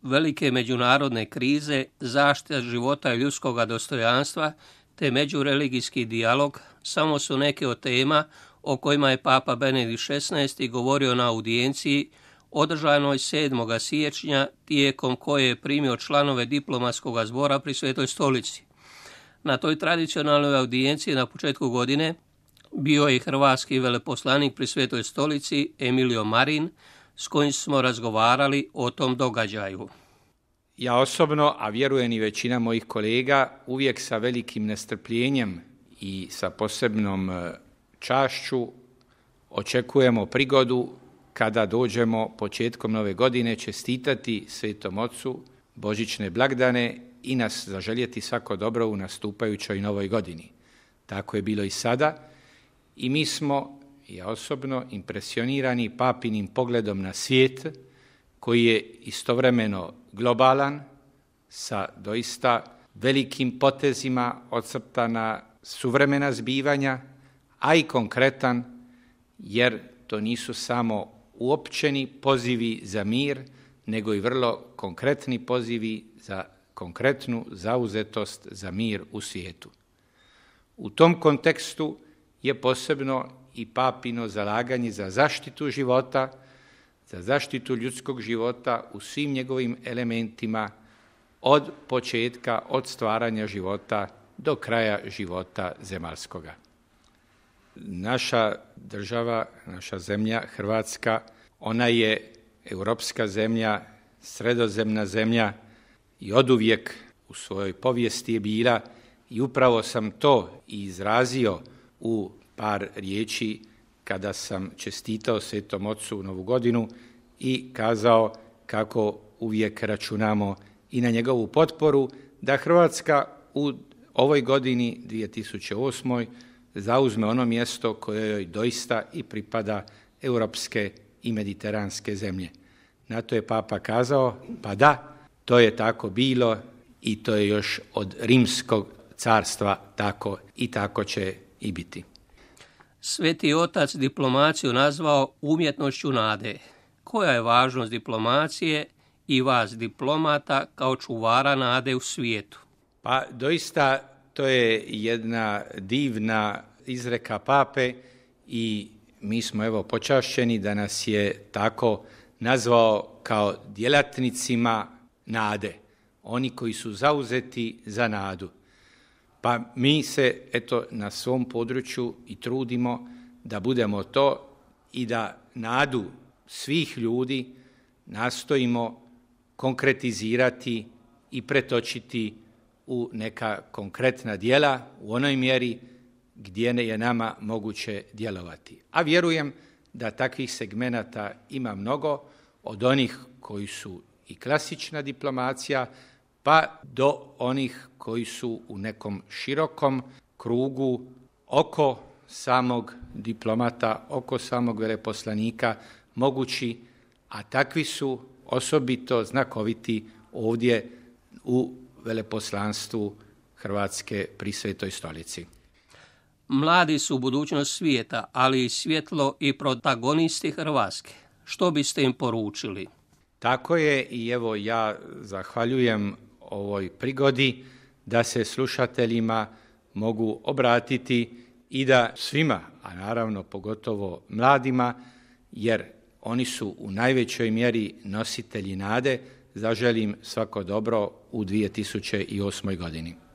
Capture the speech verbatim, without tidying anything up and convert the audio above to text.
velike međunarodne krize, zaštita života i ljudskog dostojanstva te međureligijski dijalog samo su neke od tema o kojima je Papa Benedikt šesnaesti govorio na audijenciji održanoj sedmog siječnja, tijekom koje je primio članove diplomatskog zbora pri Svetoj stolici. Na toj tradicionalnoj audijenciji na početku godine bio je hrvatski veleposlanik pri Svetoj stolici Emilio Marin, s kojim smo razgovarali o tom događaju. Ja osobno, a vjerujem i većina mojih kolega, uvijek sa velikim nestrpljenjem i sa posebnom čašću očekujemo prigodu kada dođemo početkom nove godine čestitati Svetom Ocu božićne blagdane i nas zaželjeti svako dobro u nastupajućoj novoj godini. Tako je bilo i sada i mi smo, ja osobno, impresionirani papinim pogledom na svijet koji je istovremeno globalan, sa doista velikim potezima ocrtana suvremena zbivanja, a i konkretan, jer to nisu samo uopćeni pozivi za mir, nego i vrlo konkretni pozivi za konkretnu zauzetost za mir u svijetu. U tom kontekstu je posebno i papino zalaganje za zaštitu života, za zaštitu ljudskog života u svim njegovim elementima, od početka, od stvaranja života do kraja života zemaljskoga. Naša država, naša zemlja, Hrvatska, ona je europska zemlja, sredozemna zemlja i oduvijek u svojoj povijesti je bila, i upravo sam to izrazio u par riječi kada sam čestitao Svetom Ocu Novu godinu i kazao kako uvijek računamo i na njegovu potporu da Hrvatska u ovoj godini dvije tisuće osmoj zauzme ono mjesto koje joj doista i pripada, europske i mediteranske zemlje. Na to je Papa kazao, pa da, to je tako bilo i to je još od Rimskog carstva tako i tako će i biti. Sveti Otac diplomaciju nazvao umjetnošću nade. Koja je važnost diplomacije i vas diplomata kao čuvara nade u svijetu? Pa doista to je jedna divna izreka Pape i mi smo evo počašćeni da nas je tako nazvao kao djelatnicima nade, oni koji su zauzeti za nadu. Pa mi se eto na svom području i trudimo da budemo to i da nadu svih ljudi nastojimo konkretizirati i pretočiti u neka konkretna djela u onoj mjeri gdje je nama moguće djelovati. A vjerujem da takvih segmenata ima mnogo, od onih koji su i klasična diplomacija, pa do onih koji su u nekom širokom krugu oko samog diplomata, oko samog veleposlanika mogući, a takvi su osobito znakoviti ovdje u veleposlanstvu Hrvatske pri Svetoj stolici. Mladi su budućnost svijeta, ali i svjetlo i protagonisti Hrvatske. Što biste im poručili? Tako je i evo ja zahvaljujem ovoj prigodi da se slušateljima mogu obratiti i da svima, a naravno pogotovo mladima, jer oni su u najvećoj mjeri nositelji nade, zaželim svako dobro u dvije tisuće osmoj godini.